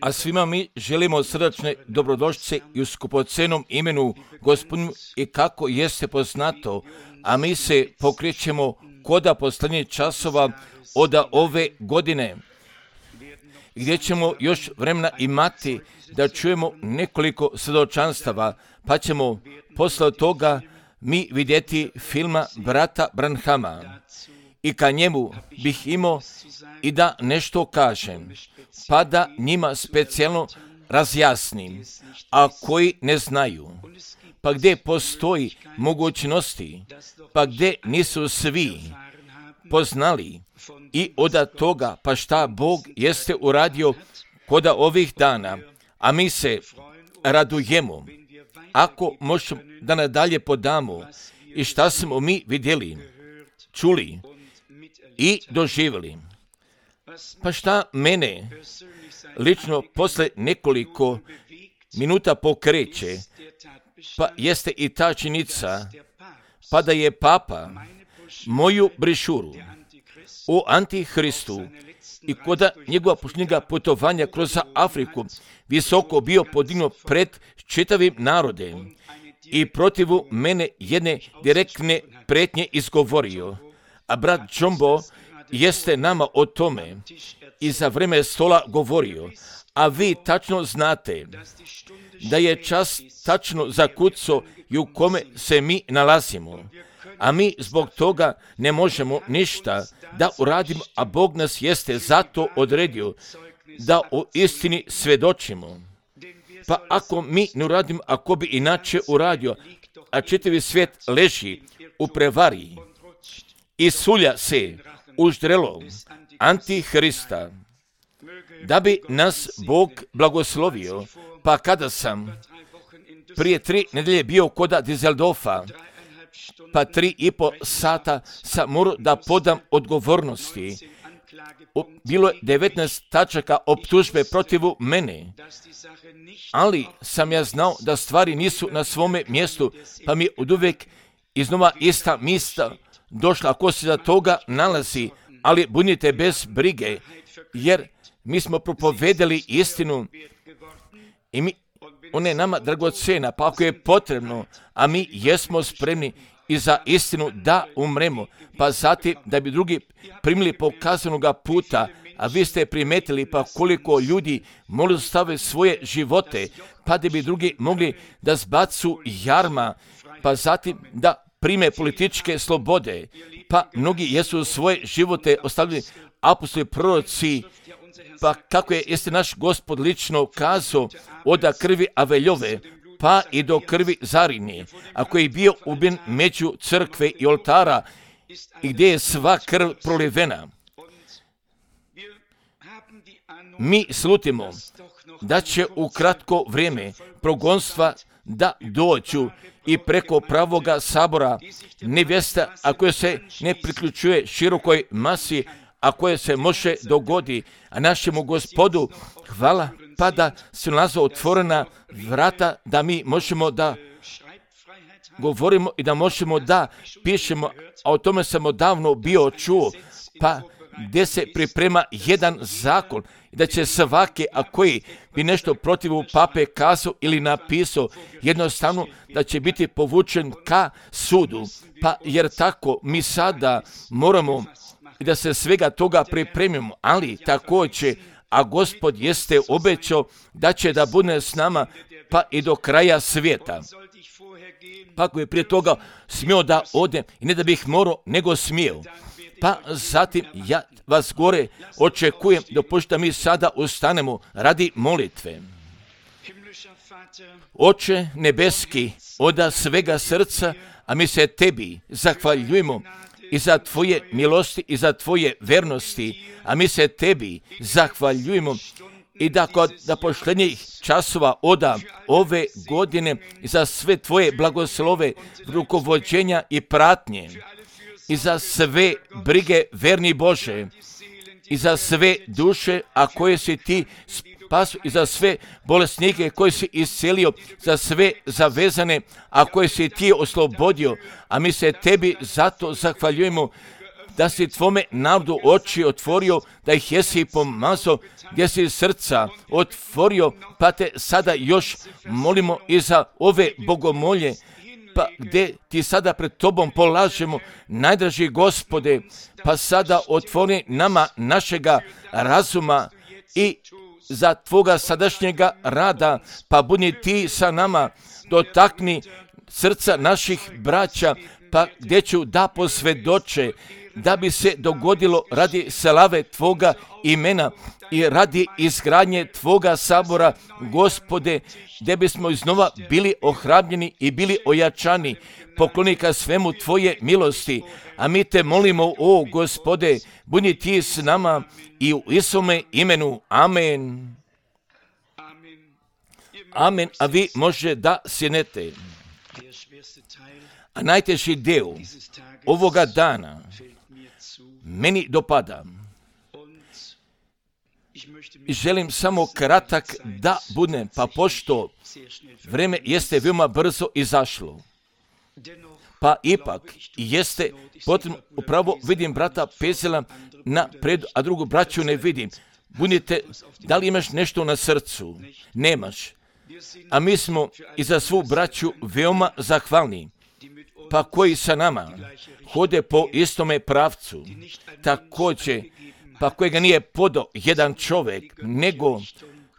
A svima mi želimo srdačne dobrodošlice i u skupocenom imenu Gospodinu i kako jeste poznato, a mi se pokrećemo koda posljednjih časova od ove godine, gdje ćemo još vremena imati da čujemo nekoliko svjedočanstava, pa ćemo posle toga mi vidjeti filma brata Branhama. I ka njemu bih imao i da nešto kažem, pa da njima specijalno razjasnim, a koji ne znaju, pa gdje postoji mogućnosti, pa gdje nisu svi poznali i od toga pa šta Bog jeste uradio koda ovih dana, a mi se radujemo ako možemo da nadalje podamo i šta smo mi vidjeli, čuli i doživjeli. Pa šta mene lično posle nekoliko minuta pokreće, pa jeste i ta činjenica, pa da je Papa moju brišuru o Antihristu i koda njegova posljednjega putovanja kroz Afriku visoko bio podignuo pred čitavim narodem i protivu mene jedne direktne pretnje izgovorio. A brat Džombo jeste nama o tome i za vreme stola govorio, a vi tačno znate da je čas tačno zakucao i u kome se mi nalazimo, a mi zbog toga ne možemo ništa da uradimo, a Bog nas jeste zato odredio da o istini svjedočimo. Pa ako mi ne uradimo, ako bi inače uradio, a čitavi svijet leži u prevari i sulja se u ždrelo Antihrista, da bi nas Bog blagoslovio, pa kada sam prije 3 nedelje bio koda Düsseldorfa, pa 3,5 sata sam morao da podam odgovornosti. Bilo je 19 tačaka optužbe protivu mene, ali sam ja znao da stvari nisu na svome mjestu, pa mi oduvijek iznova ista mista došla, ako se za toga nalazi, ali budite bez brige, jer mi smo propovedali istinu i ona je nama dragocjena, pa ako je potrebno, a mi jesmo spremni i za istinu da umremo, pa zatim da bi drugi primili pokazanoga puta, a vi ste primetili pa koliko ljudi mogli stave svoje živote, pa da bi drugi mogli da zbacu jarma, pa zatim da prime političke slobode, pa mnogi jesu svoje živote ostavili apostoli, proroci, pa kako jeste naš Gospod lično kazao, od krvi Aveljove, pa i do krvi Zarini, a koji je bio ubijen među crkve i oltara i gdje je sva krv prolivena. Mi slutimo da će u kratko vrijeme progonstva da dođu i preko pravoga sabora nevjesta, a koja se ne priključuje širokoj masi, a koje se može dogodi, a našemu Gospodu hvala, pa da se nalaze otvorena vrata, da mi možemo da govorimo i da možemo da pišemo, a o tome sam odavno bio čuo, pa gdje se priprema jedan zakon, da će svaki, a koji bi nešto protiv pape kazao ili napisao, jednostavno da će biti povučen ka sudu, pa jer tako mi sada moramo i da se svega toga pripremimo, ali također, a Gospod jeste obećao da će da bude s nama pa i do kraja svijeta. Pa ako je prije toga smio da odem, i ne da bih morao, nego smio. Pa zatim ja vas gore očekujem, dopustite mi sada ustanemo radi molitve. Oče nebeski, od svega srca, a mi se tebi zahvaljujemo i za tvoje milosti i za tvoje vernosti, a mi se tebi zahvaljujemo i da kod posljednjih časova od ove godine i za sve tvoje blagoslove, rukovođenja i pratnje i za sve brige verni Bože i za sve duše, a koje si ti spasu i za sve bolesnike koje si iscelio, za sve zavezane, a koje si ti oslobodio, a mi se tebi zato zahvaljujemo da si tvome narodu oči otvorio, da ih jesi pomazao, gdje si srca otvorio, pa te sada još molimo i za ove bogomolje, pa gdje ti sada pred tobom polažemo, najdraži Gospode, pa sada otvori nama našega razuma i za tvoga sadašnjega rada, pa budi ti sa nama, dotakni srca naših braća, pa gdje ću da posvjedoče, da bi se dogodilo radi slave tvoga imena i radi izgradnje tvoga sabora, Gospode, gdje bismo iznova bili ohrabljeni i bili ojačani. Pokloni ka svemu tvoje milosti, a mi te molimo, o Gospode, budi ti s nama i u Isuse imenu. Amen. Amen. A vi može da sjednete. A najteži dio ovoga dana meni dopada. I želim samo kratak da budem, pa pošto vreme jeste veoma brzo izašlo, pa ipak jeste potrebno, upravo vidim brata Pezela napred, a drugu braću ne vidim. Budite, da li imaš nešto na srcu? Nemaš. A mi smo i za svu braću veoma zahvalni, pa koji sa nama hode po istome pravcu, također, pa kojega nije podao jedan čovjek, nego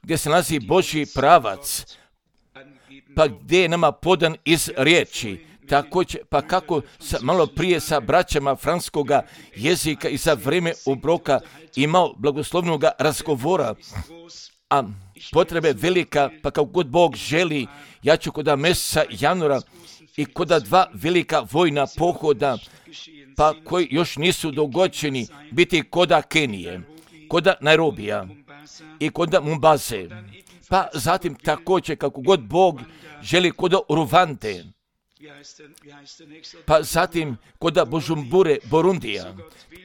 gdje se nalazi Božji pravac, pa gdje je nama podan iz riječi, također, pa kako malo prije sa braćama francuskoga jezika i za vrijeme obroka imao blagoslovnog razgovora, a potrebe velika, pa kako god Bog želi, ja ću kod mjeseca januara i kod dva velika vojna pohoda, pa koji još nisu dogođeni, biti koda Kenije, koda Nairobija i koda Mombase, pa zatim također kako god Bog želi koda Rwande, pa zatim koda Bujumbure, Burundija,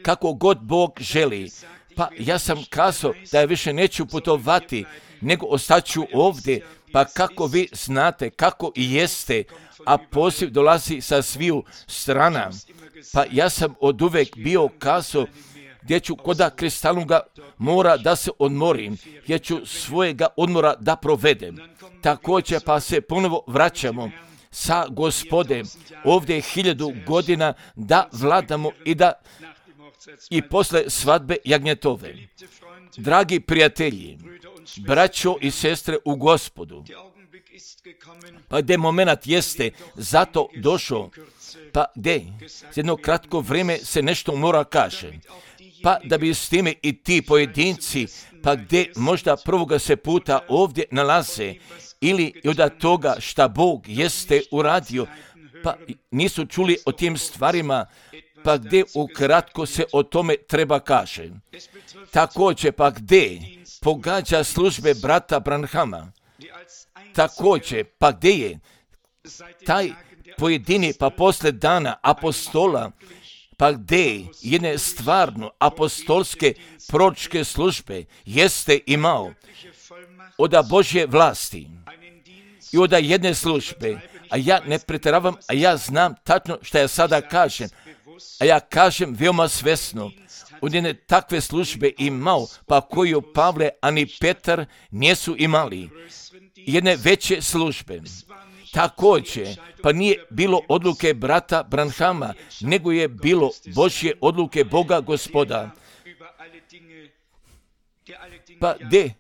kako god Bog želi. Pa ja sam kazao da ja više neću putovati, nego ostaću ovdje, pa kako vi znate, kako i jeste, a poziv dolazi sa sviju strana. Pa ja sam od uvek bio kazao gdje ću koda kristalnoga mora da se odmorim, gdje ću svojega odmora da provedem. Također pa se ponovo vraćamo sa Gospodem ovdje 1000 godina da vladamo i posle svadbe jagnjetove. Dragi prijatelji, braćo i sestre u Gospodu, pa gdje moment jeste zato došao, pa gdje jedno kratko vrijeme se nešto mora kaže, pa da bi s time i ti pojedinci, pa gdje možda prvoga se puta ovdje nalaze, ili od toga šta Bog jeste uradio, pa nisu čuli o tim stvarima, pa gdje ukratko se o tome treba kaže. Također pa gdje pogađa službe brata Branhama, također pa gdje je taj pojedini pa posle dana apostola, pa gdje jedne stvarno apostolske proročke službe jeste imao od Božje vlasti i od jedne službe, a ja ne pretjeravam, a ja znam tačno što ja sada kažem, a ja kažem veoma svesno, od jedne takve službe imao, pa koju Pavle ani Petar nisu imali, jedne veće službe. Također, pa nije bilo odluke brata Branhama, nego je bilo Božje odluke Boga Gospoda. Pa gdje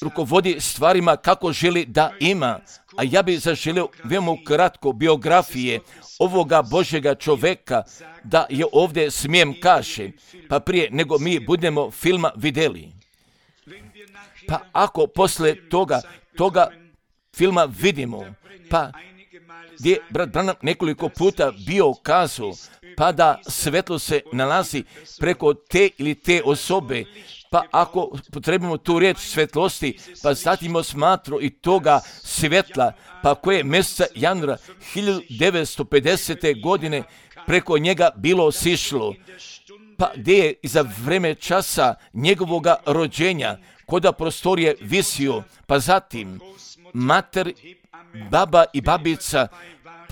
rukovodi stvarima kako želi da ima, a ja bih zaželio veoma kratko biografije ovoga Božjega čoveka, da je ovdje smijem kaže, pa prije nego mi budemo filma vidjeli. Pa ako posle toga filma vidimo, pa gdje brat Branham nekoliko puta bio kazao, pa da svetlo se nalazi preko te ili te osobe, pa ako potrebimo tu riječ svetlosti, pa zatim smatro i toga svetla, pa koje mjeseca januara 1950. godine preko njega bilo sišlo, pa gdje je za vreme časa njegovoga rođenja koda prostorije visio, pa zatim mater, baba i babica,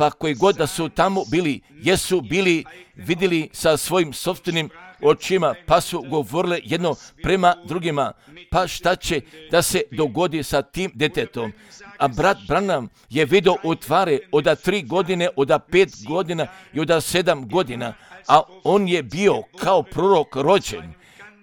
pa koji god da su tamo bili, jesu bili vidjeli sa svojim sopstvenim očima, pa su govorile jedno prema drugima, pa šta će da se dogodi sa tim djetetom. A brat Branham je vidio u tvari od 3 godine, od 5 godina i od 7 godina, a on je bio kao prorok rođen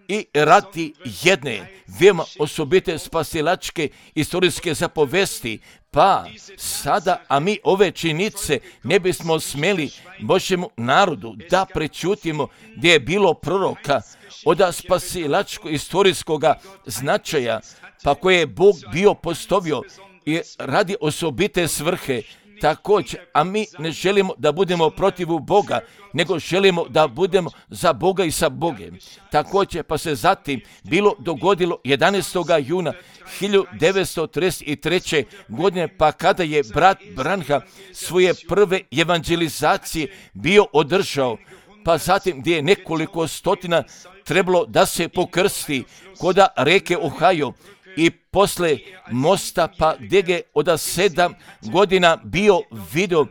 i radi jedne veoma osobite spasilačke istorijske zapovesti. Pa sada, a mi ove činjenice ne bismo smjeli Božjemu narodu da prečutimo gdje je bilo proroka od spasilačkog istorijskog značaja, pa koje je Bog bio postavio i radi osobite svrhe. Također, a mi ne želimo da budemo protiv Boga, nego želimo da budemo za Boga i sa Bogem. Također, pa se zatim bilo dogodilo 11. juna 1933. godine, pa kada je brat Branham svoje prve evangelizacije bio održao, pa zatim gdje je nekoliko stotina trebalo da se pokrsti kod reke Ohio, i posle mosta, pa gdje je od 7 godina bio video,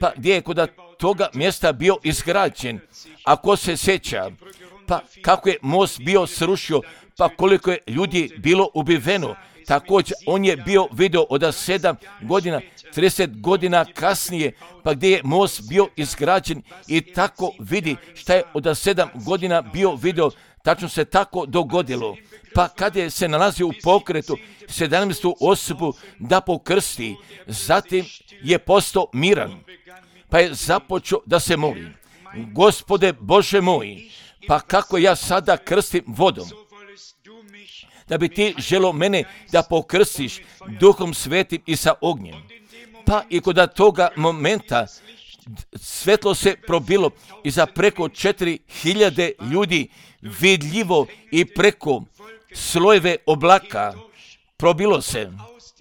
pa gdje je kod toga mjesta bio izgrađen. Ako se sjeća, pa kako je most bio srušio, pa koliko je ljudi bilo ubiveno. Također, on je bio video od 7 godina, 30 godina kasnije, pa gdje je most bio izgrađen i tako vidi šta je od 7 godina bio video. Tačno se tako dogodilo. Pa kada je se nalazio u pokretu 17. osobu da pokrsti, zatim je postao miran, pa je započeo da se moli. Gospode Bože moj, pa kako ja sada krstim vodom, da bi ti želo mene da pokrstiš Duhom Svetim i sa ognjem. Pa i kod toga momenta svetlo se probilo i za preko 4000 ljudi vidljivo i preko slojeve oblaka probilo se.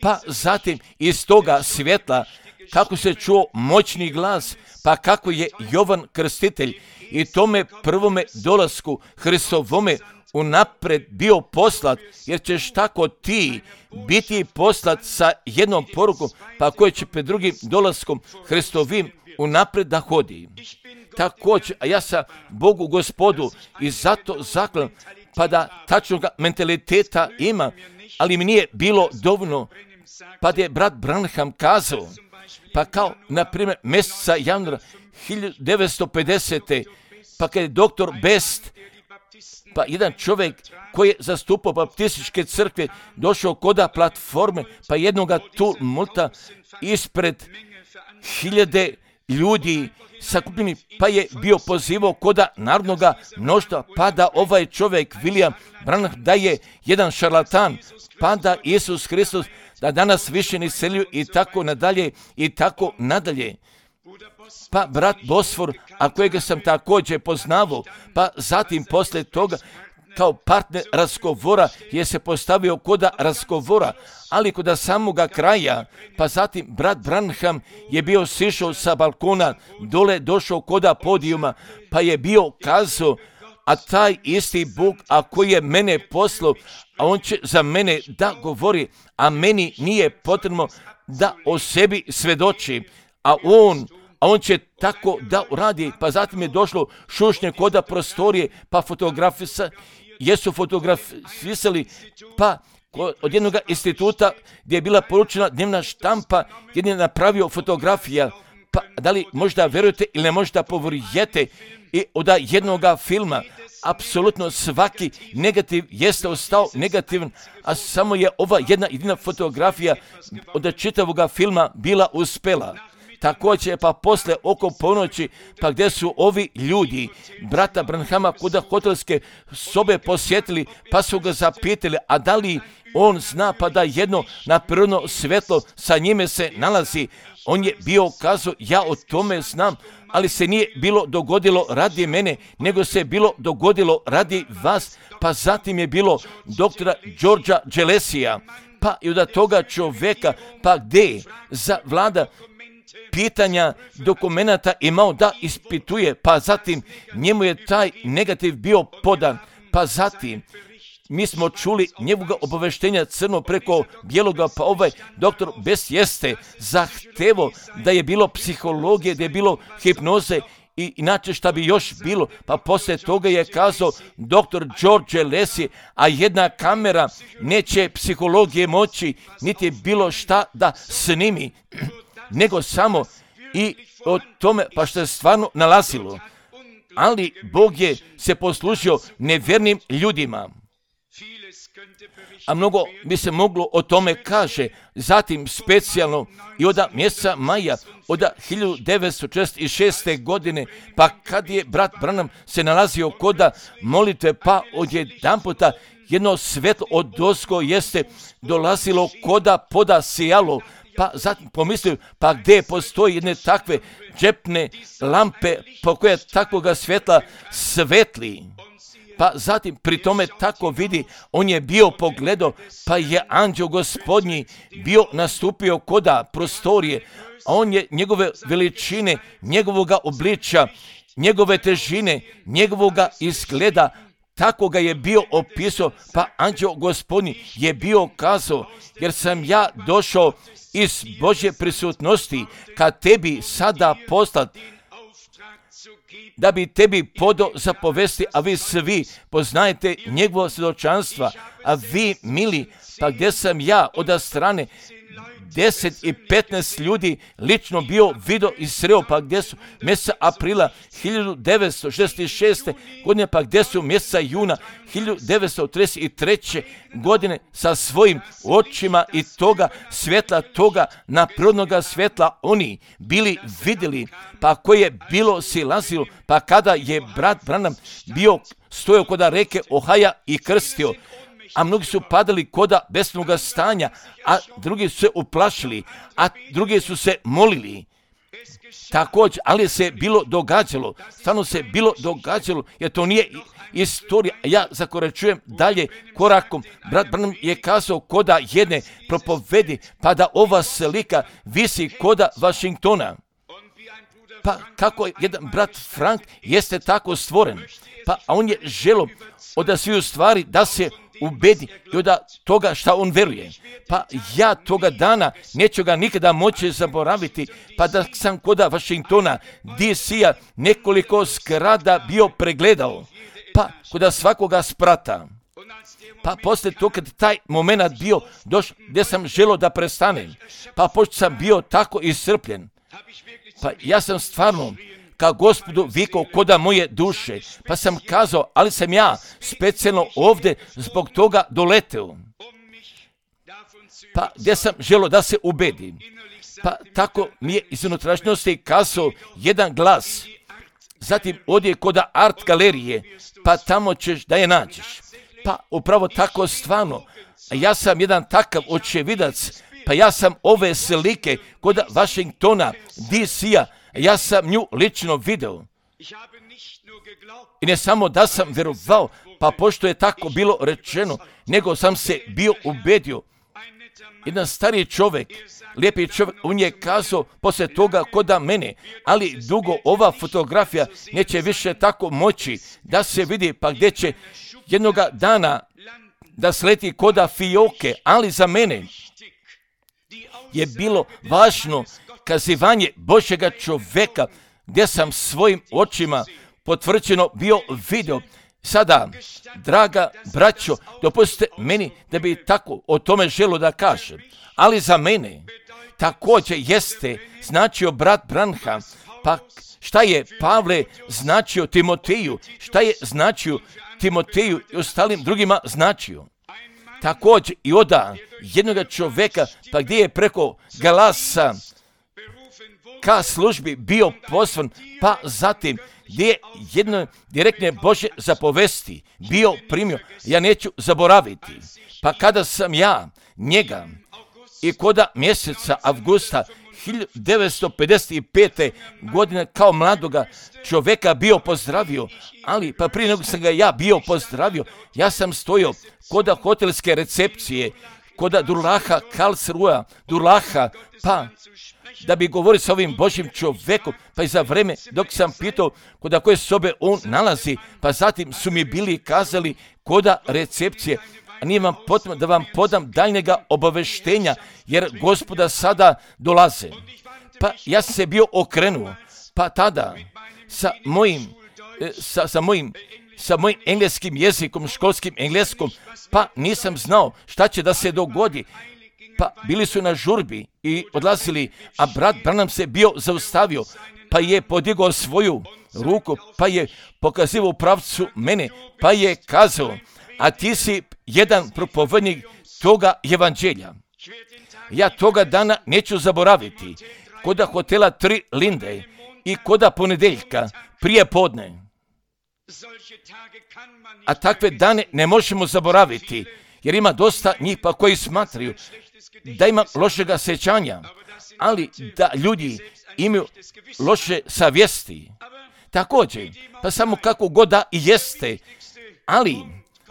Pa zatim iz toga svjetla kako se čuo moćni glas, pa kako je Jovan Krstitelj i tome prvome dolasku Hristovome unapred bio poslat, jer ćeš tako ti biti poslat sa jednom porukom, pa koji će pred drugim dolaskom Hristovim unapred da hodi. Također, a ja sam Bogu Gospodu i zato zaklam, pa da tačnog mentaliteta ima, ali mi nije bilo dovoljno, pa je brat Branham kazao, pa kao, na primjer, mjeseca januara 1950. pa kad je doktor Best, pa jedan čovjek koji je zastupao baptističke crkve, došao koda platforme, pa jednoga tumulta ispred 1000 ljudi sakupljeni, pa je bio pozivao koda narodnoga mnoštva, pa da ovaj čovjek, William Branham, da je jedan šarlatan, pa da Isus Hristos, da danas više ne selju i tako nadalje i tako nadalje. Pa brat Bosfor, a kojega sam također poznavao, pa zatim posle toga kao partner razgovora je se postavio koda razgovora, ali koda samoga kraja, pa zatim brat Branham je bio sišao sa balkona, dole došao koda podijuma, pa je bio kazao, a taj isti Bog, a koji je mene poslao, a on će za mene da govori, a meni nije potrebno da o sebi svedoči, a on će tako da uradi. Pa zatim je došlo šušnje koda prostorije, pa jesu fotografisali, pa od jednog instituta gdje je bila poručena dnevna štampa, jedan je napravio fotografija, pa da li možda verujete ili ne možda povrjete, i od jednoga filma apsolutno svaki negativ jeste ostao negativan, a samo je ova jedna jedina fotografija od čitavoga filma bila uspela. Također, pa posle oko ponoći, pa gdje su ovi ljudi brata Branhama kuda hotelske sobe posjetili, pa su ga zapitali, a da li on zna, pa da jedno naprirodno svetlo sa njime se nalazi. On je bio kazao, ja o tome znam, ali se nije bilo dogodilo radi mene, nego se bilo dogodilo radi vas. Pa zatim je bilo doktora Georgea Gillespija, pa i od toga čovjeka, pa gdje za vlada pitanja dokumenata imao da ispituje, pa zatim njemu je taj negativ bio podan, pa zatim mi smo čuli njegovoga obaveštenja crno preko bijeloga, pa ovaj doktor Best jeste zahtevo da je bilo psihologije, da je bilo hipnoze i inače šta bi još bilo, pa poslije toga je kazao doktor George Lesi, a jedna kamera neće psihologije moći, niti bilo šta da snimi, nego samo i o tome pa što je stvarno nalazilo. Ali Bog je se poslužio nevjernim ljudima. A mnogo bi se moglo o tome kaže. Zatim specijalno i od mjeseca maja od 1946. godine, pa kad je brat Branham se nalazio koda molitve, pa odjedanputa jedno svetlo od dosko jeste dolazilo koda poda sijalo, pa zatim pomislio, pa gdje postoji jedne takve džepne lampe po koje takvoga svjetla svetli. Pa zatim pri tome tako vidi, on je bio pogledao, pa je anđeo gospodnji bio nastupio koda prostorije, a on je njegove veličine, njegovoga obličja, njegove težine, njegovoga izgleda, tako ga je bio opisao, pa anđeo gospodnji je bio kazao, jer sam ja došao iz Božje prisutnosti ka tebi sada poslat, da bi tebi podao zapovesti, a vi svi poznajete njegovo svjedočanstva, a vi mili, pa gdje sam ja od strane 10 i 15 ljudi lično bio vidio i sreo, pa gdje su mjeseca aprila 1966. godine, pa gdje su mjeseca juna 1933. godine sa svojim očima i toga svjetla, toga naprirodnoga svjetla oni bili vidjeli, pa koje je bilo silazilo, pa kada je brat Branham bio stojao kod reke Ohaja i krstio, a mnogi su padali koda besnoga stanja, a drugi su se uplašili, a drugi su se molili. Također, ali se bilo događalo, stvarno se bilo događalo, jer to nije istorija. Ja zakoračujem dalje korakom. Brat Branham je kazao koda jedne propovedi, pa da ova slika visi koda Washingtona. Pa kako jedan brat Frank jeste tako stvoren, pa on je želo od sviju stvari da se ubedi i od toga šta on veruje. Pa ja toga dana neću ga nikada moći zaboraviti, pa da sam koda Washingtona, DC-a, nekoliko zgrada bio pregledao, pa koda svakoga sprata. Pa poslije to kad taj moment bio došao gdje sam želo da prestanem, pa pošto sam bio tako iscrpljen, pa ja sam stvarno ka Gospodu vikao koda moje duše, pa sam kazao, ali sam ja specijalno ovdje zbog toga doleteo. Pa gdje sam želo da se ubedi. Pa tako mi je iz unutrašnjosti kazao jedan glas. Zatim odje koda art galerije, pa tamo ćeš da je nađeš. Pa upravo tako stvarno, ja sam jedan takav očevidac, pa ja sam ove slike koda Washingtona, DC-a, ja sam nju lično video. I ne samo da sam vjerovao, pa pošto je tako bilo rečeno, nego sam se bio ubedio. Jedan stariji čovjek, lijepi čovjek, on je kazao poslije toga koda mene, ali dugo ova fotografija neće više tako moći da se vidi, pa gdje će jednoga dana da sleti koda fioke, ali za mene je bilo važno kazivanje Božjega čovjeka, gdje sam svojim očima potvrđeno bio video. Sada, draga braćo, dopustite meni da bi tako o tome želo da kažem, ali za mene također jeste značio brat Branham, pa šta je Pavle značio Timoteju, šta je značio Timoteju i ostalim drugima značio. Također i oda jednoga čovjeka, pa gdje je preko glasa ka službi bio poslan, pa zatim gdje je jedno direktne Božje zapovesti bio primio, ja neću zaboraviti. Pa kada sam ja njega i koda mjeseca avgusta 1955. godine kao mladoga čovjeka bio pozdravio, ali pa prije nego sam ga ja bio pozdravio, ja sam stojao koda hotelske recepcije, koda Durlaha Karlsruhe, Durlaha, pa da bi govorio sa ovim Božjim čovjekom, pa i za vreme dok sam pitao koda koje sobe on nalazi, pa zatim su mi bili kazali koda recepcije, a nije vam potrebno da vam podam daljnjega obaveštenja, jer Gospoda sada dolaze. Pa ja sam se bio okrenuo, pa tada sa mojim engleskim jezikom, školskim engleskom, pa nisam znao šta će da se dogodi. Pa bili su na žurbi i odlazili, a brat Branham se bio zaustavio, pa je podigao svoju ruku, pa je pokazivao u pravcu mene, pa je kazao, a ti si jedan propovednik toga evanđelja. Ja toga dana neću zaboraviti, koda hotela 3 Linde i koda ponedeljka prije podne. A takve dane ne možemo zaboraviti, jer ima dosta njih pa koji smatraju da ima lošega sjećanja, ali da ljudi imaju loše savjesti. Također, pa samo kako god da i jeste, ali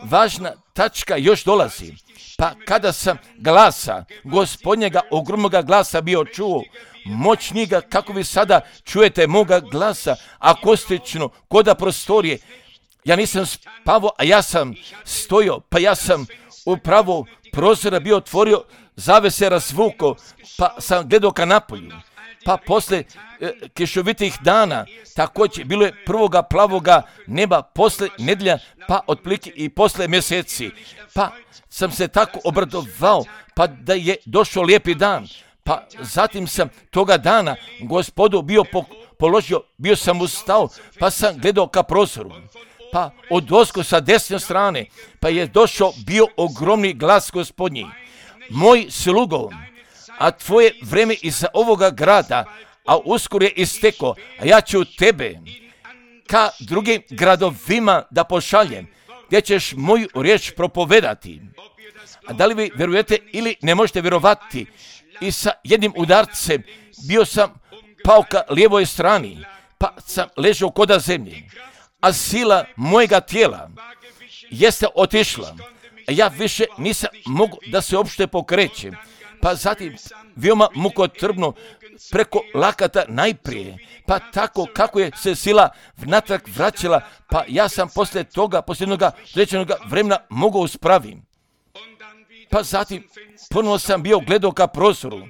važna tačka još dolazi. Pa kada sam glasa, Gospodnjega ogromnoga glasa bio čuo, moćniga kako vi sada čujete moga glasa, akustično, koda prostorije, ja nisam spavao, a ja sam stojao, pa ja sam upravo prozora bio otvorio, zavese razvukao, pa sam gledao ka napolju. Pa posle kišovitih dana, također bilo je prvoga plavoga neba, posle nedjelja, pa otprilike i posle mjeseci. Pa sam se tako obradovao, pa da je došao lijepi dan. Pa zatim sam toga dana Gospodu bio položio, bio sam ustao, pa sam gledao ka prozoru. Pa odozgo sa desne strane, pa je došao bio ogromni glas Gospodnji. Moj slugo, a tvoje vreme iza ovoga grada, a uskoro je isteko, a ja ću tebe ka drugim gradovima da pošaljem, gdje ćeš moju riječ propovedati. A da li vi vjerujete ili ne možete vjerovati, i sa jednim udarcem bio sam pao ka lijevoj strani, pa sam ležao koda zemlje, a sila mojega tijela jeste otišla, a ja više nisam mogu da se uopšte pokrećem. Pa zatim veoma mukotrpno preko lakata najprije, pa tako kako je se sila natrag vraćala, pa ja sam poslije toga, poslije jednoga rečenoga vremena mogao uspravim. Pa zatim ponovno sam bio gledao ka prozoru,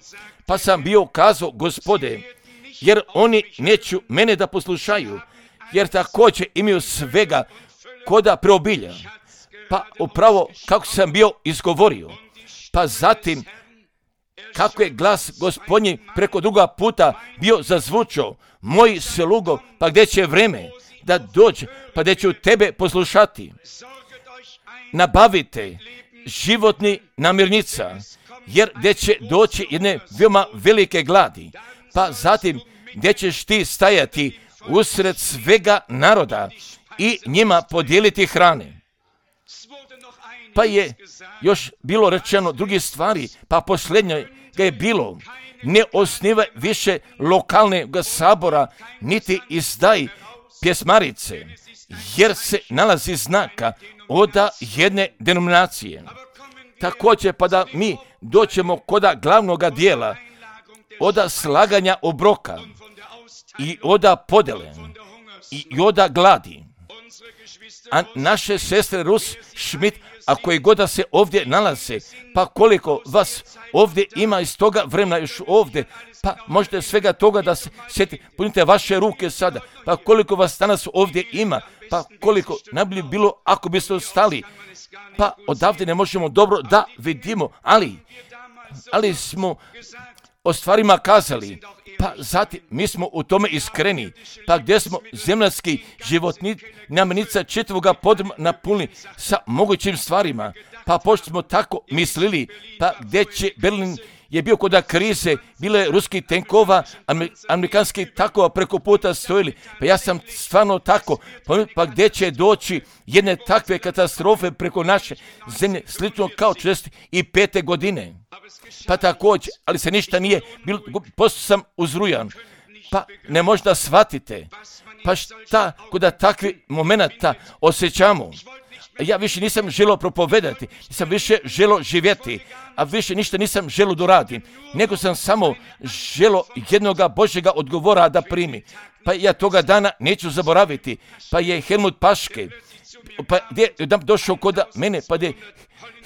pa sam bio kazao, Gospode, jer oni neću mene da poslušaju, jer također imaju svega koda preobilja. Pa upravo kako sam bio izgovorio, pa zatim kako je glas Gospodnji preko druga puta bio zazvučao, moj slugo, pa gdje će vreme da dođe, pa gdje ću tebe poslušati. Nabavite životni namirnica, jer gdje će doći jedne veoma velike gladi, pa zatim gdje ćeš ti stajati usred svega naroda i njima podijeliti hrane. Pa je još bilo rečeno drugi stvari, pa posljednje ga je bilo, ne osnivaj više lokalnog sabora, niti izdaj pjesmarice, jer se nalazi znaka oda jedne denominacije. Također pa da mi doćemo koda glavnoga dijela, oda slaganja obroka i oda podele i oda gladi. A naše sestre Rus Schmidt, a koji god da se ovdje nalaze, pa koliko vas ovdje ima iz toga vremena još ovdje, pa možete svega toga da se sjetite, punite vaše ruke sada, pa koliko vas danas ovdje ima, pa koliko najbolje bilo ako biste ostali, pa odavde ne možemo dobro da vidimo, ali smo o stvarima kazali, pa zatim mi smo u tome iskreni, pa gdje smo zemljski životni namirnica čitavoga podruma napunili sa mogućim stvarima, pa pošto smo tako mislili, pa gdje će Berlin je bio kod krize, bilo je ruskih tenkova, amerikanskih takova preko puta stojili, pa ja sam stvarno tako, pa gdje će doći jedne takve katastrofe preko naše zemlje, slično kao 45. godine. Pa također, ali se ništa nije bilo, posto sam uzrujan, pa ne možda shvatite, pa šta kod takvih momenata osjećamo, Ja više nisam želio propovedati, nisam više želio živjeti, a više ništa nisam želio doradim, nego sam samo želio jednoga Božjega odgovora da primi. Pa ja toga dana neću zaboraviti, pa je Helmut Paške, pa gdje je došao kod mene, pa je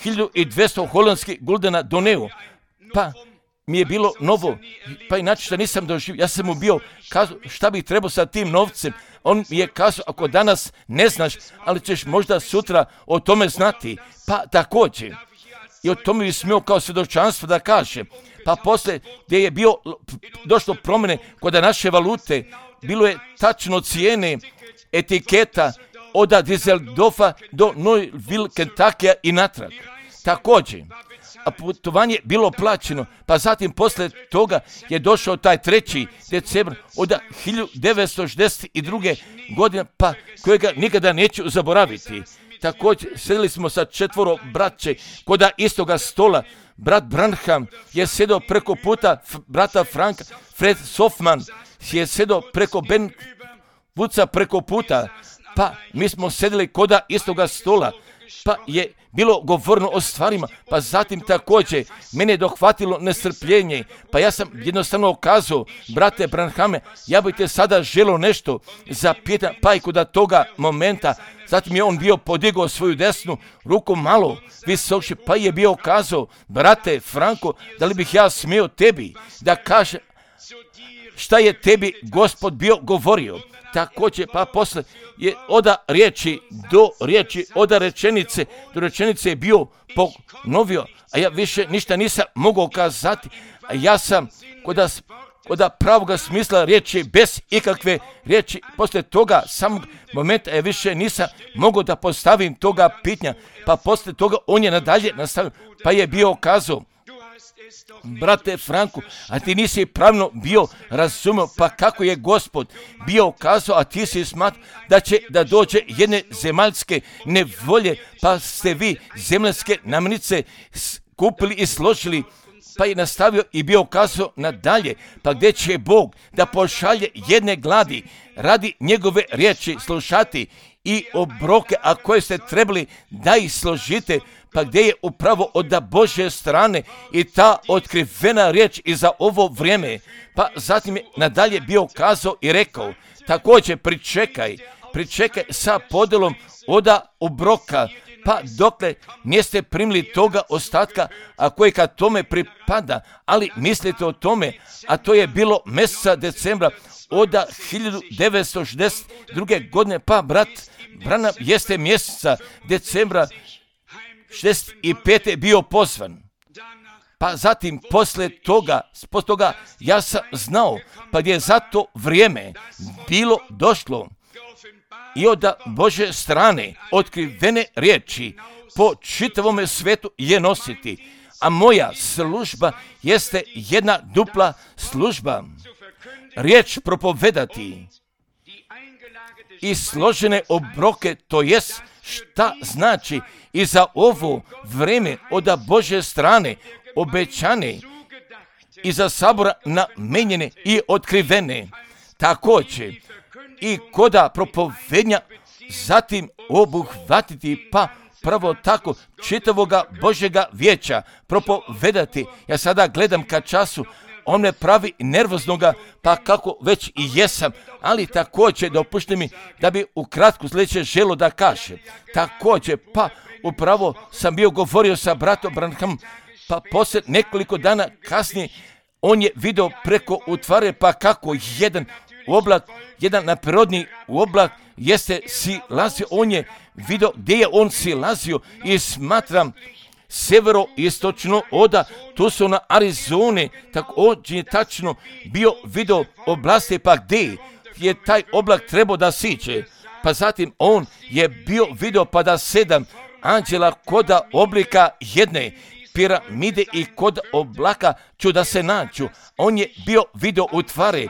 1200 holandskih guldena doneo, pa mi je bilo novo, pa inače što nisam doživio, ja sam mu bio kazao šta bih trebao sa tim novcem. On mi je kazao, ako danas ne znaš, ali ćeš možda sutra o tome znati, pa također. I o tome bi smio kao svjedočanstvo da kaže. Pa poslije gdje je došlo promjene kod naše valute, bilo je tačno cijene etiketa od Düsseldorfa do Louisville, Kentuckya i natrag. Također, a putovanje bilo plaćeno, pa zatim poslije toga je došao taj 3. decembar od 1962. godine, pa kojega nikada neću zaboraviti. Također, sjedili smo sa 4 braće kod istoga stola. Brat Branham je sjedio preko puta brata Franka, Fred Sofman je sjedio preko Ben Vuca preko puta, pa mi smo sjedili kod istoga stola, pa je bilo govorno o stvarima, pa zatim također mene je dohvatilo nestrpljenje, pa ja sam jednostavno kazao, brate Branhame, ja bih te sada želio nešto zapitati, pa i kod toga momenta, zatim je on bio podigao svoju desnu ruku malo visokši, pa je bio kazao, brate Franko, da li bih ja smio tebi da kaže šta je tebi Gospod bio govorio. Također, pa posle je od riječi do riječi, od rečenice do rečenice je bio ponovio, a ja više ništa nisam mogao kazati, a ja sam kod pravoga smisla riječi, bez ikakve riječi, poslije toga samog momenta ja više nisam mogao da postavim toga pitanja, pa poslije toga on je nadalje nastavio, pa je bio kazao, brate Franku, a ti nisi pravno bio razumio, pa kako je Gospod bio kazao, a ti si smatrao da će da dođe jedne zemaljske nevolje, pa ste vi zemaljske namirnice kupili i složili, pa je nastavio i bio kazao nadalje, pa gdje će Bog da pošalje jedne gladi radi njegove riječi slušati i obroke, a koje ste trebali da ih složite, pa gdje je upravo od Božje strane i ta otkrivena riječ i za ovo vrijeme. Pa zatim je nadalje bio kazao i rekao, također pričekaj sa podelom od obroka, pa dokle niste primili toga ostatka, a koje kad tome pripada, ali mislite o tome, a to je bilo mjeseca decembra od 1962. godine, pa brat Branham jeste mjeseca decembra 65. bio pozvan. Pa zatim poslije toga ja sam znao, pa gdje je za to vrijeme bilo došlo i od Božje strane otkrivene riječi po čitavome svetu je nositi. A moja služba jeste jedna dupla služba. Riječ propovedati i složene obroke, to jest šta znači i za ovo vrijeme od Božje strane obećane i za sabora namenjene i otkrivene. Također i koda propovednja zatim obuhvatiti, pa pravo tako čitavoga Božjega vijeća propovedati. Ja sada gledam ka času, on me pravi nervoznoga, pa kako već i jesam, ali također dopušti mi da bi ukratko sljedeće želo da kaže. Također, pa upravo sam bio govorio sa bratom Branhamom, pa poslije nekoliko dana kasnije on je vidio preko utvare, pa kako jedan oblak, jedan naprirodni oblak jeste silazio, on je vidio gdje je on silazio i smatram severo-istočno od Tucsona, Arizone, također je tačno bio vidio oblasti, pa gdje je taj oblak trebao da siđe. Pa zatim on je bio vidio pa da 7 anđela kod oblika jedne piramide i kod oblaka ću da se nađu. On je bio vidio utvare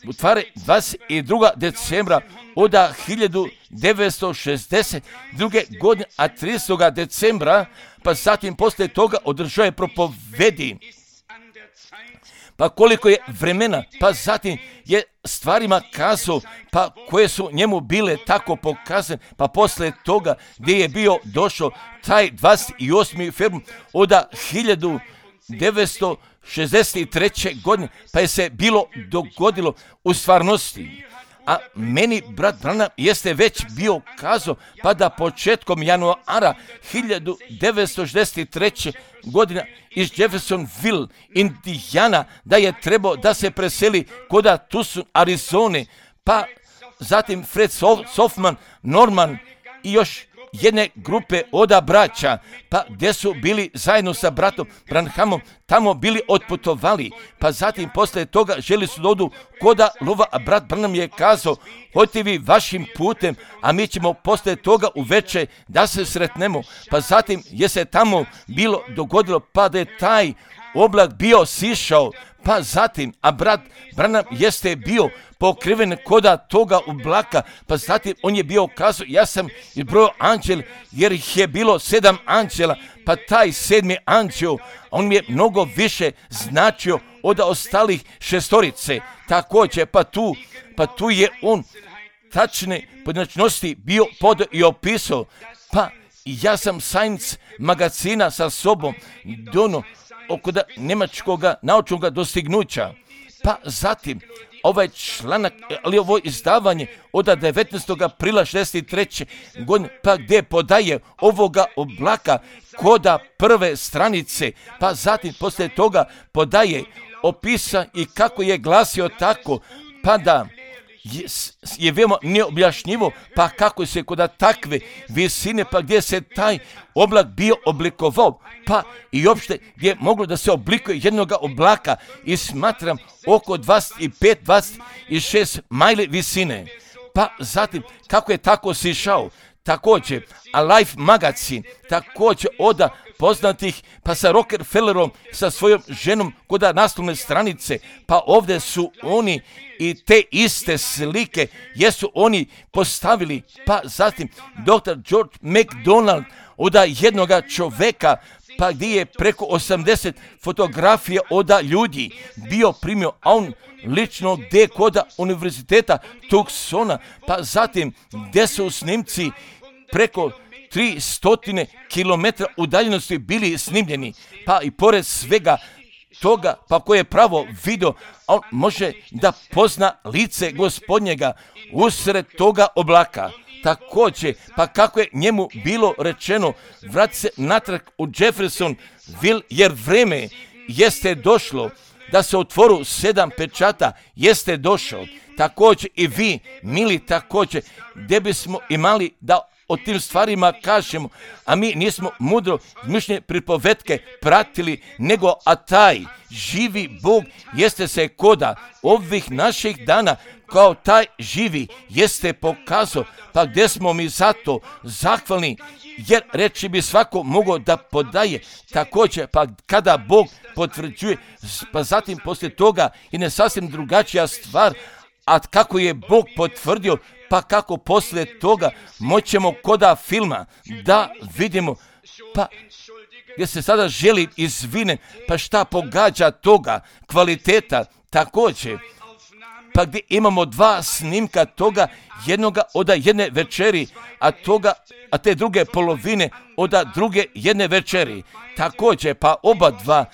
22. decembra od 1962. godine, a 30. decembra, pa zatim poslije toga održao je propovedi. pa koliko je vremena, pa zatim je stvarima kazao, pa koje su njemu bile tako pokazane, pa posle toga gdje je bio došao taj 28. februar od 1963. godine, pa je se bilo dogodilo u stvarnosti. A meni brat Branham jeste već bio kazao, pa da početkom januara 1963. godina iz Jeffersonville, Indijana, da je trebao da se preseli kod Tucson, Arizone, pa zatim Fred Softman, Norman i još jedne grupe oda braća, pa gdje su bili zajedno sa bratom Branhamom, tamo bili otputovali, pa zatim posle toga želi su da odu koda lova, a brat Branham je kazao, hodite vi vašim putem, a mi ćemo posle toga uveče da se sretnemo, pa zatim je se tamo bilo dogodilo, pa da je taj oblak bio sišao, pa zatim, a brat Branham jeste bio pokriven koda toga oblaka, pa zatim on je bio kazao, ja sam izbrojao anđel, jer ih je bilo 7 anđela, pa taj 7. anđel, on mi je mnogo više značio od ostalih 6. Također, pa tu je on tačne pojedinačnosti bio pod i opisao, pa ja sam Science magazina sa sobom dono oko njemačkog naučnog dostignuća, pa zatim ovaj članak, ali ovo izdavanje od 19. aprila 63. godine, pa gdje podaje ovoga oblaka koda prve stranice, pa zatim poslije toga podaje opisa i kako je glasio tako, pa da je veoma neobjašnjivo, pa kako se kod takve visine, pa gdje se taj oblak bio oblikovao, pa i uopšte gdje je moglo da se oblikuje jednog oblaka i smatram oko 25-26 majli visine, pa zatim kako je tako sišao. Također, a Life magazin, također od poznatih, pa sa Rockefellerom, sa svojom ženom kod naslovne stranice, pa ovdje su oni i te iste slike, jesu oni postavili, pa zatim dr. George MacDonald od jednog čoveka, pa gdje je preko 80 fotografija od ljudi bio primio, a on lično gdje kod univerziteta Tucsona, pa zatim gdje su snimci preko 300 km udaljenosti bili snimljeni, pa i pored svega toga, pa ko je pravo video, on može da pozna lice Gospodnjega usred toga oblaka. Također, pa kako je njemu bilo rečeno, vrati se natrag u Jeffersonville, jer vreme jeste došlo da se otvoru 7 pečata, jeste došao. Također i vi, mili, također, gdje bismo imali da o tim stvarima kažemo, a mi nismo mudro izmišljene pripovetke pratili, nego a taj živi Bog jeste se koda ovih naših dana kao taj živi jeste pokazao, pa gdje smo mi zato zahvalni, jer reći bi svako mogao da podaje. Također, pa kada Bog potvrđuje, pa zatim poslije toga i ne sasvim drugačija stvar, a kako je Bog potvrdio, pa kako poslije toga moćemo koda filma da vidimo, pa gdje se sada želi izvine, pa šta pogađa toga kvaliteta. Također, pa gdje imamo 2 snimka toga, jednoga od jedne večeri, a te druge polovine od druge jedne večeri. Također, pa oba dva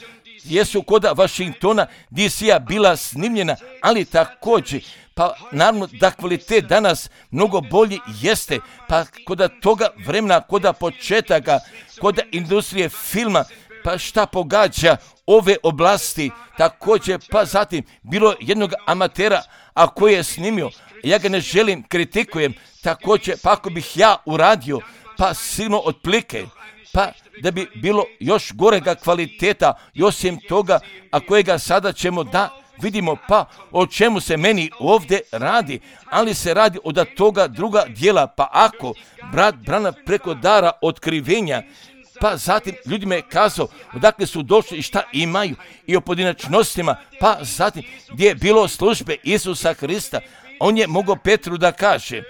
jesu kod Washingtona DC-a bila snimljena, ali također, pa naravno da kvalitet danas mnogo bolji jeste, pa kod toga vremena, kod početaka, kod industrije filma, pa šta pogađa ove oblasti, također, pa zatim bilo jednog amatera, a koji je snimio, ja ga ne želim, kritikujem, također, pa ako bih ja uradio, pa sigurno otplike, pa da bi bilo još gorega kvaliteta i osim toga, a kojega sada ćemo da vidimo, pa o čemu se meni ovdje radi, ali se radi od toga druga dijela, pa ako brat Branham preko dara otkrivenja, pa zatim ljudima je kazao odakle su došli i šta imaju i o pojedinačnostima, pa zatim gdje je bilo službe Isusa Hrista, on je mogao Petru da kaže,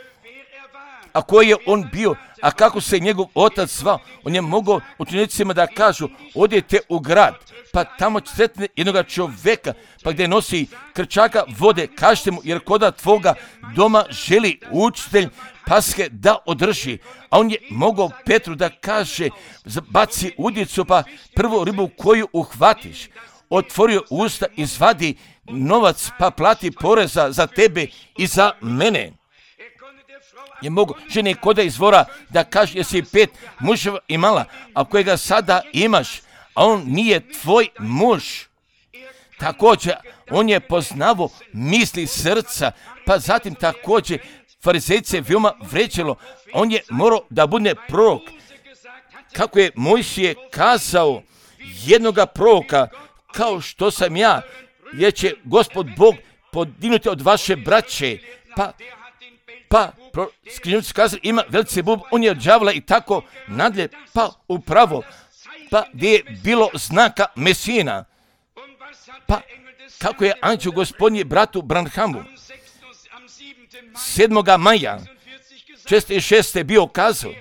a koji je on bio, a kako se njegov otac zvao. On je mogao učenicima da kažu, odite u grad, pa tamo će sretne jednoga čoveka, pa gdje nosi krčaka vode, kažete mu, jer koda tvoga doma želi učitelj Paske da održi. A on je mogao Petru da kaže, baci udicu, pa prvu ribu koju uhvatiš, otvorio usta, izvadi novac, pa plati poreza za tebe i za mene. Je mogu žene koda izvora da kaže, jesi 5 muževa imala, a kojega sada imaš, a on nije tvoj muž. Također, on je poznavao misli srca, pa zatim također farizejce veoma vređalo. On je morao da bude prorok. Kako je Mojsije kazao jednoga proroka, kao što sam ja, jer će Gospod Bog podignuti od vaše braće, pa skrivnici kazali, ima Belcebub, on je od đavola i tako nadalje, pa upravo, pa gdje je bilo znaka Mesijina, pa kako je anđeo Gospodnji bratu Branhamu 7. maja 46. bio kazao,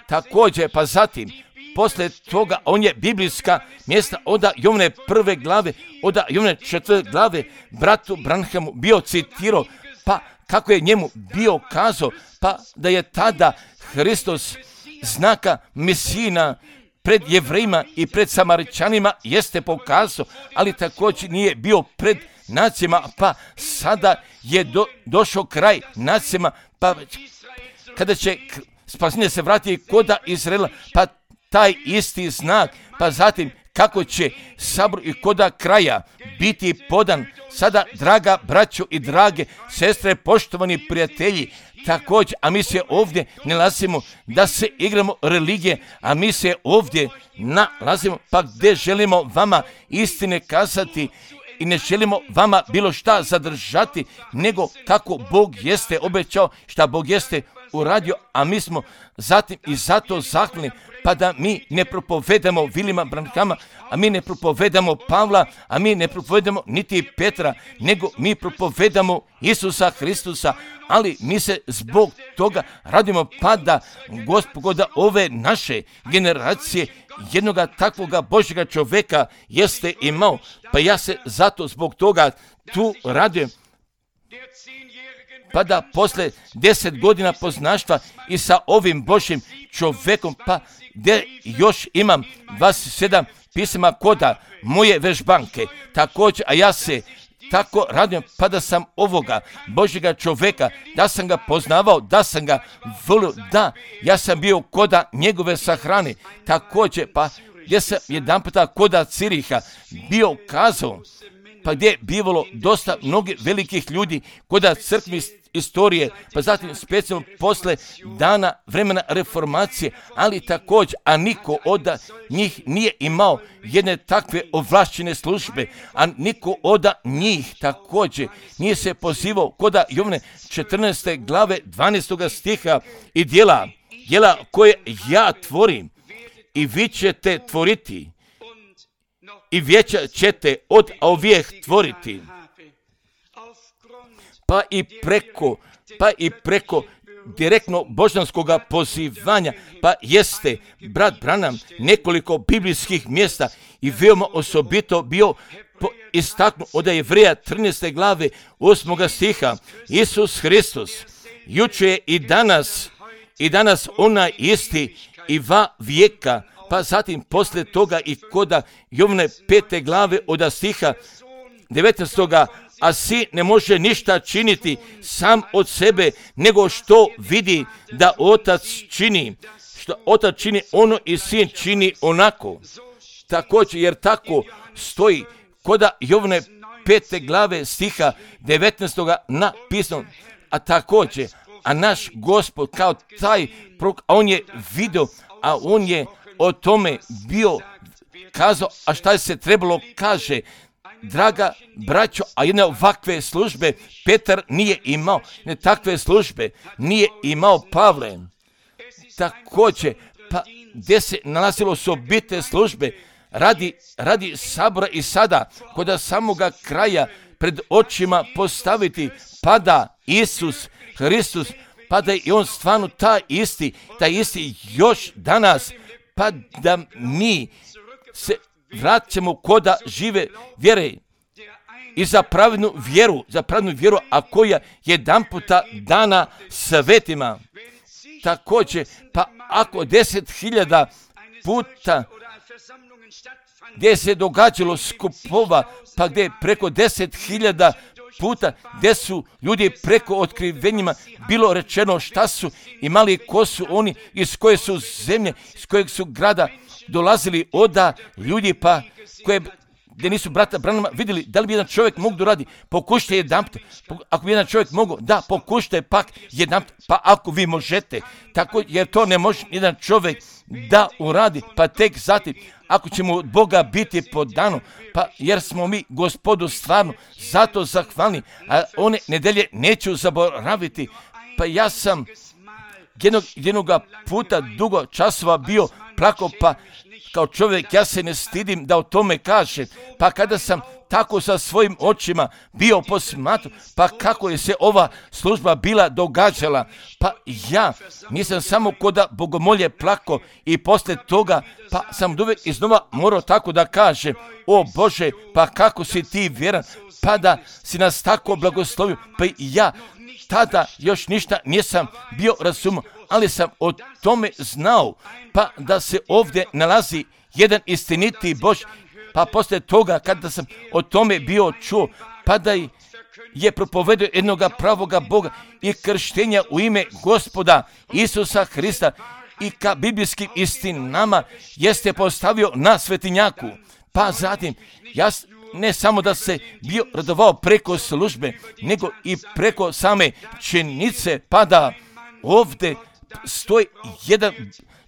također, pa zatim, poslije toga, on je biblijska mjesta od Jovne 1. glave, od Jovne 4. glave, bratu Branhamu bio citirao, pa kako je njemu bio kazao, pa da je tada Hristos znaka Mesijina pred Jevrejima i pred Samaričanima jeste pokazao, ali također nije bio pred nacijama, pa sada je došao kraj nacijama, pa kada će spasenje se vratiti koda Izraela, pa taj isti znak, pa zatim kako će sabor i koda kraja biti podan. Sada, draga braćo i drage sestre, poštovani prijatelji, također, a mi se ovdje ne nalazimo da se igramo religije, a mi se ovdje nalazimo pa gdje želimo vama istine kazati i ne želimo vama bilo šta zadržati, nego kako Bog jeste obećao, šta Bog jeste uradio, a mi smo zatim i zato zahvalni, pa da mi ne propovedamo Vilima Branhama, a mi ne propovedamo Pavla, a mi ne propovedamo niti Petra, nego mi propovedamo Isusa Hristusa, ali mi se zbog toga radimo, pa da Gospoda ove naše generacije jednoga takvoga Božjega čoveka jeste imao, pa ja se zato zbog toga tu radujem. Pa da posle 10 godina poznaštva i sa ovim Božjim čovekom, pa gdje još imam 27 pisama koda moje vežbanke, također, a ja se tako radujem, pa da sam ovoga Božjega čoveka, da sam ga poznavao, da sam ga volio, da, ja sam bio koda njegove sahrane, također, pa gdje sam jedan puta koda Ciriha bio kazao, pa gdje je bivalo dosta mnogih velikih ljudi koda crkvi istorije, pa zatim specijalno posle dana vremena reformacije, ali također, a niko od njih nije imao jedne takve ovlašćene službe, a niko od njih također nije se pozivao koda Jovne 14. glave 12. stiha i djela koje ja tvorim i vi ćete tvoriti i vijeća ćete od ovijeh tvoriti. Pa i preko direktno božanskog pozivanja, pa jeste brat Branham nekoliko biblijskih mjesta i veoma osobito bio istaknut od Jevreja 13. glave 8. stiha. Isus Hristos juče i danas onaj isti i va vijeka, pa zatim poslije toga i koda Jovne 5. glave od stiha 19. a sin ne može ništa činiti sam od sebe, nego što vidi da otac čini. Što otac čini ono i sin čini onako. Također, jer tako stoji koda Jovne 5. glave stiha 19. napisano. A također, a naš Gospod kao taj prorok, a on je vidio, a on je o tome bio kazao, a šta se trebalo kaže. Draga braćo, a jedne ovakve službe Petar nije imao, ne takve službe nije imao Pavle. Također, pa gdje se nalazilo osobite službe radi sabora i sada, kod samoga kraja pred očima postaviti, pada Isus Hristos pa da je on stvarno taj isti još danas, pa da mi se vraćamo koda žive vjere i za pravednu vjeru, a koja jedan puta dana svetima. Također, pa ako 10.000 puta gdje se događalo skupova, pa gdje je preko 10.000 puta gdje su ljudi preko otkrivenjima bilo rečeno šta su imali, ko su oni, iz koje su zemlje, iz kojeg su grada dolazili oda ljudi, pa koje gdje nisu brata Branhama vidjeli da li bi jedan čovjek mogu da radi. Pokušajte jedanput, ako bi jedan čovjek mogu, da, pokušajte pak jedanput, pa ako vi možete, tako jer to ne može jedan čovjek da uradi, pa tek zatim, ako ćemo od Boga biti podano, pa jer smo mi Gospodu stvarno zato zahvalni, a one nedelje neću zaboraviti, pa ja sam jednoga puta dugo časova bio plako, pa kao čovjek ja se ne stidim da o tome kažem, pa kada sam tako sa svojim očima bio posmatru, pa kako je se ova služba bila događala, pa ja nisam samo koda bogomolje plako i poslije toga, pa sam uvijek iznova morao tako da kažem, o Bože, pa kako si ti vjeran, pa da si nas tako blagoslovio, pa i ja tada još ništa nisam bio razumio, ali sam o tome znao, pa da se ovdje nalazi jedan istiniti Bož, pa poslije toga kada sam o tome bio čuo, pa da je propovedio jednoga pravoga Boga i krštenja u ime Gospoda Isusa Hrista i ka biblijskim istinama jeste postavio na svetinjaku, pa zatim ja ne samo da se bio radovao preko službe, nego i preko same činjenice, pa da ovdje stoji jedan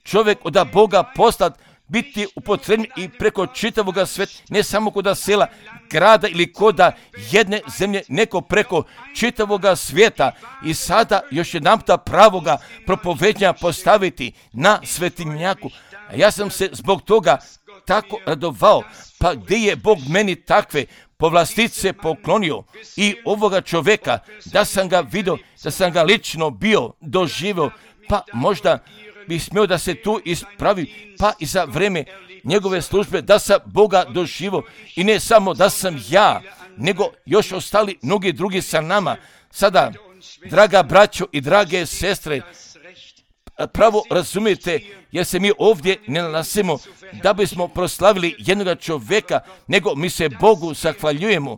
čovjek od Boga poslat biti upotrebljen i preko čitavoga sveta, ne samo koda sela, grada ili koda jedne zemlje, neko preko čitavoga svijeta i sada još jedanputa pravoga propovednja postaviti na svetinjaku. A ja sam se zbog toga tako radovao, pa gdje je Bog meni takve povlastice poklonio i ovoga čovjeka, da sam ga vidio, da sam ga lično bio doživio, pa možda bi smio da se tu ispravi, pa i za vreme njegove službe da sam Boga doživio i ne samo da sam ja, nego još ostali mnogi drugi sa nama. Sada, draga braćo i drage sestre, pravo razumijete, jer se mi ovdje ne nalazimo da bismo proslavili jednog čovjeka, nego mi se Bogu zahvaljujemo,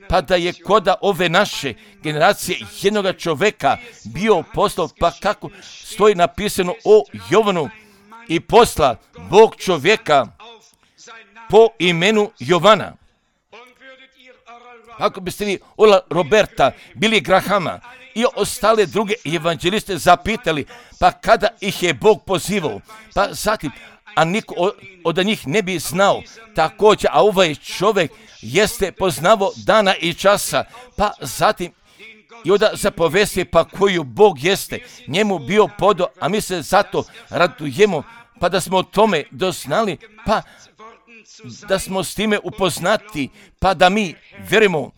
pa da je koda ove naše generacije jednog čovjeka bio poslao, pa kako stoji napisano o Jovanu i posla Bog čovjeka po imenu Jovana. Ako biste vi Ola Roberta, Billy Grahama i ostale druge evanđeliste zapitali, pa kada ih je Bog pozivao, pa zatim, a niko od njih ne bi znao također, a ovaj čovjek jeste poznavao dana i časa, pa zatim i onda zapovesti pa koju Bog jeste njemu bio podo, a mi se zato radujemo, pa da smo o tome doznali, pa da smo s time upoznati, pa da mi vjerujemo,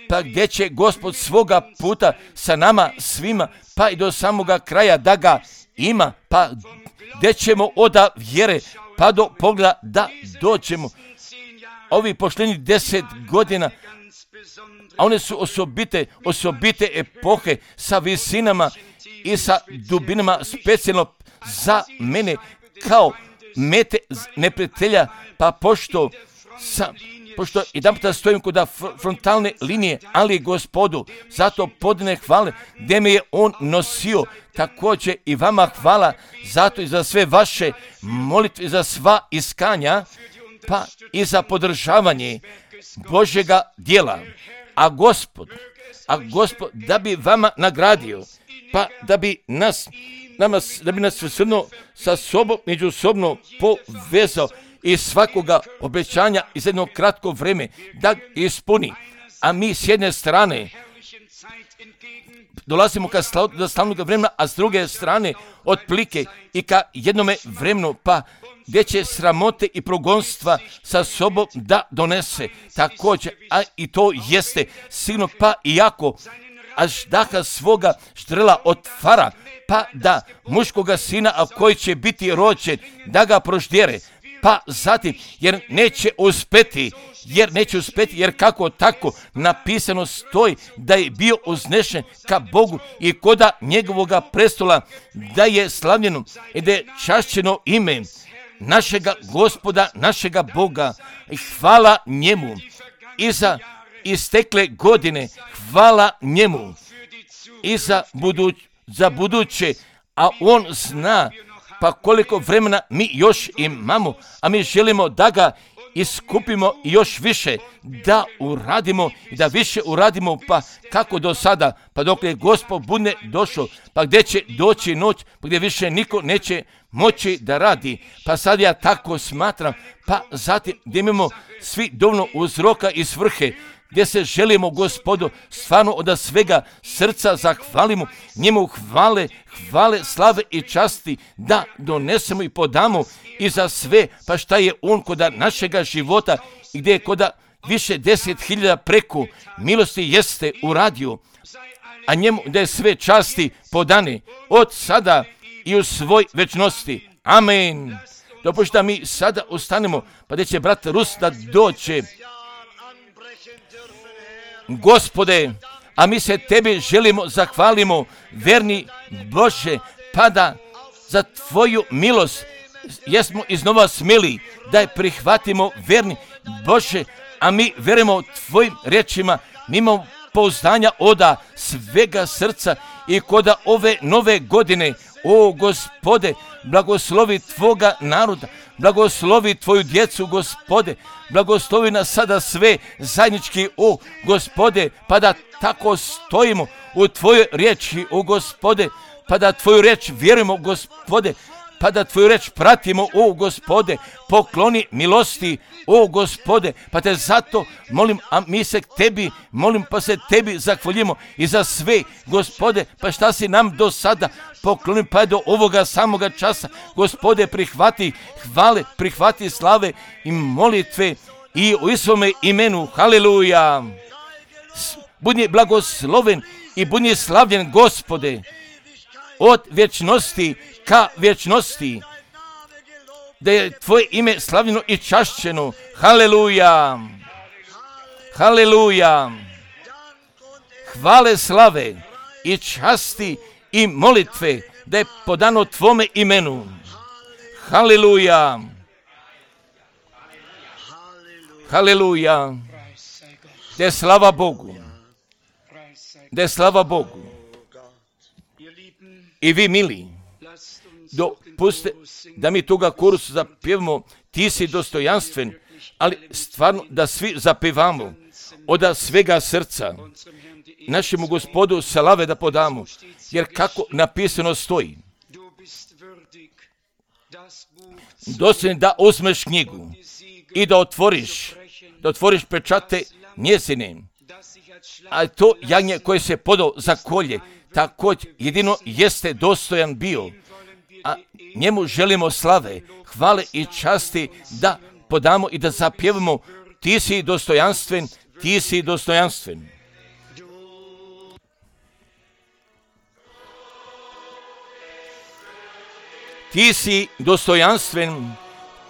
pa gdje će Gospod svoga puta sa nama svima, pa i do samoga kraja da ga ima, pa gdje ćemo od vjere pa do pogleda da dođemo. Ovi pošljeni 10 godina, a one su osobite epohe sa visinama i sa dubinama, specijalno za mene kao mete neprijatelja, pa pošto jedan puta stojim kod frontalne linije, ali Gospodu zato podne hvale gdje me je On nosio, također i vama hvala zato i za sve vaše molitve, za sva iskanja, pa i za podržavanje Božjega djela. A Gospod da bi vama nagradio, pa da bi nas sa sobom međusobno povezao i svakoga obećanja iz jednog kratkog vreme da ispuni. A mi s jedne strane dolazimo do slavnog vremena, a s druge strane otplike i ka jednome vremenu, pa gdje će sramote i progonstva sa sobom da donese također, a i to jeste sigurno, pa iako a ždaha svoga štrela otvara, pa da muškoga sina, a koji će biti rođen, da ga proždjere, pa zatim, jer neće uspeti, jer kako tako napisano stoji da je bio uznešen ka Bogu i koda njegovoga prestola, da je slavljeno i da je čašćeno ime našega Gospoda, našega Boga. Hvala njemu i za istekle godine, hvala njemu i za buduće, a on zna pa koliko vremena mi još imamo, a mi želimo da ga iskupimo i još više, da uradimo i da više uradimo, pa kako do sada, pa dok je Gospod bude došao, pa gdje će doći noć, pa gdje više niko neće moći da radi, pa sad ja tako smatram, pa zatim gdje imamo svi dovoljno uzroka i svrhe, gdje se želimo Gospodu stvarno od svega srca zahvalimo, njemu hvale, slave i časti da donesemo i podamo i za sve, pa šta je on koda našega života i gdje je koda više 10.000 preko milosti jeste uradio, a njemu da je sve časti podane od sada i u svoj večnosti. Amen. Dopušta da mi sada ustanemo, pa gdje će brat Rus da dođe. Gospode, a mi se tebi želimo, zahvalimo, verni Bože, pa da za tvoju milost jesmo iznova smjeli da je prihvatimo, verni Bože, a mi verujemo tvojim riječima, mi imamo pouzdanja oda svega srca i koda ove nove godine, o Gospode, blagoslovi tvoga naroda, blagoslovi tvoju djecu, Gospode, blagoslovi nas sada sve zajednički, o Gospode, pa da tako stojimo u tvojoj riječi, o Gospode, pa da tvoju riječ vjerujemo, Gospode, pa da tvoju reč pratimo, o Gospode, pokloni milosti, o Gospode, pa te zato molim, a mi se tebi molim, pa se tebi zahvaljujemo i za sve, Gospode, pa šta si nam do sada pokloni, pa do ovoga samoga časa, Gospode, prihvati hvale, prihvati slave i molitve i u Isovome imenu, haleluja. Budi blagosloven i budi slavljen, Gospode, od vječnosti ka vječnosti, da je tvoje ime slavljeno i čašćeno. Haleluja, haleluja. Hvale, slave i časti i molitve da je podano tvome imenu. Haleluja, haleluja. Da je slava Bogu, da je slava Bogu. I vi, mili, dopustite da mi toga korusu zapjevamo, ti si dostojanstven, ali stvarno da svi zapjevamo od svega srca našemu Gospodu slave da podamo, jer kako napisano stoji, dostojan da uzmeš knjigu i da otvoriš pečate njezine, a to jagnje koje se podao za kolje, također jedino jeste dostojan bio, a njemu želimo slave, hvale i časti da podamo i da zapjevamo, ti si dostojanstven, ti si dostojanstven. Ti si dostojanstven,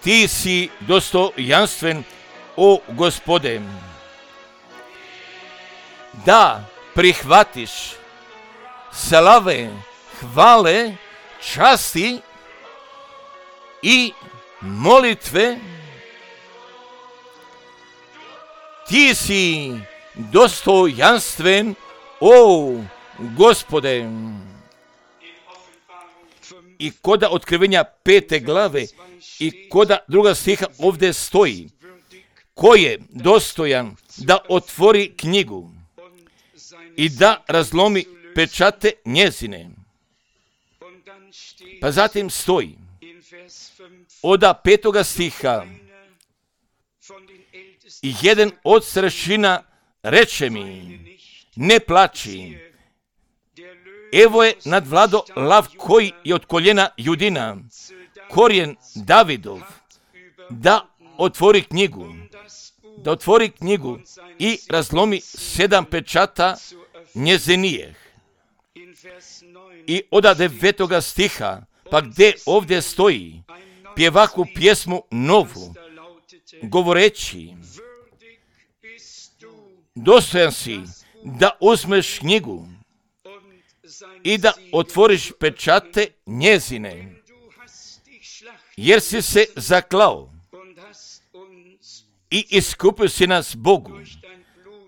ti si dostojanstven, o Gospode. Da prihvatiš slave, hvale, časti i molitve, ti si dostojanstven, o Gospode. I koda otkrivenja 5. glave i koda 2. stiha ovdje stoji, ko je dostojan da otvori knjigu i da razlomi pečate njezine. Pa zatim stoji od 5. stiha, jedan od starešina reče mi, ne plači, evo je nadvlado lav koji je od koljena Judina, korijen Davidov, da otvori knjigu i razlomi 7 pečata njezinijeh. I od 9. stiha, pa gdje ovdje stoji, pjevaku pjesmu novu, govoreći, dostojan si da uzmeš knjigu i da otvoriš pečate njezine, jer si se zaklao i iskupio si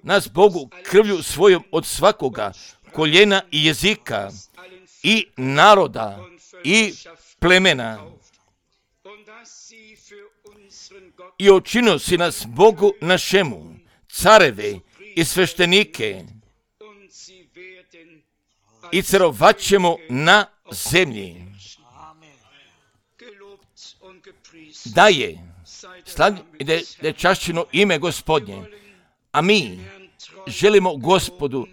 nas Bogu krvlju svojom od svakoga koljena i jezika i naroda i plemena. I učinio si nas Bogu našemu, careve i sveštenike, i carovat ćemo na zemlji. Da je čašćeno ime Gospodnje, a mi želimo Gospodu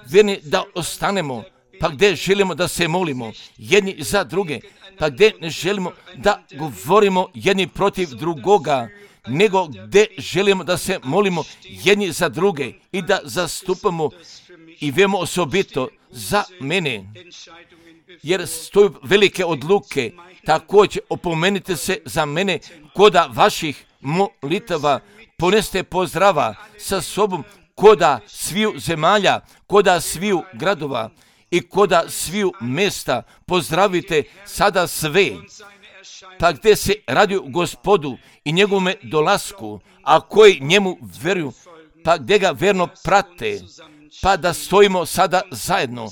verni da ostanemo, pa gdje želimo da se molimo jedni za druge, pa gdje ne želimo da govorimo jedni protiv drugoga, nego gdje želimo da se molimo jedni za druge i da zastupamo i vemo osobito za mene, jer stoju velike odluke. Također opomenite se za mene koda vaših molitava, poneste pozdrava sa sobom koda sviju zemalja, koda sviju gradova i koda sviju mjesta. Pozdravite sada sve, pa gdje se radi o Gospodu i njegovome dolasku, a koji njemu vjeruju, pa gdje ga verno prate, pa da stojimo sada zajedno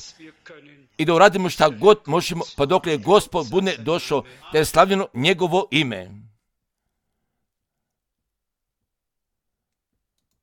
i da uradimo šta god možemo, pa dok je Gospod bude došao, da je slavljeno njegovo ime.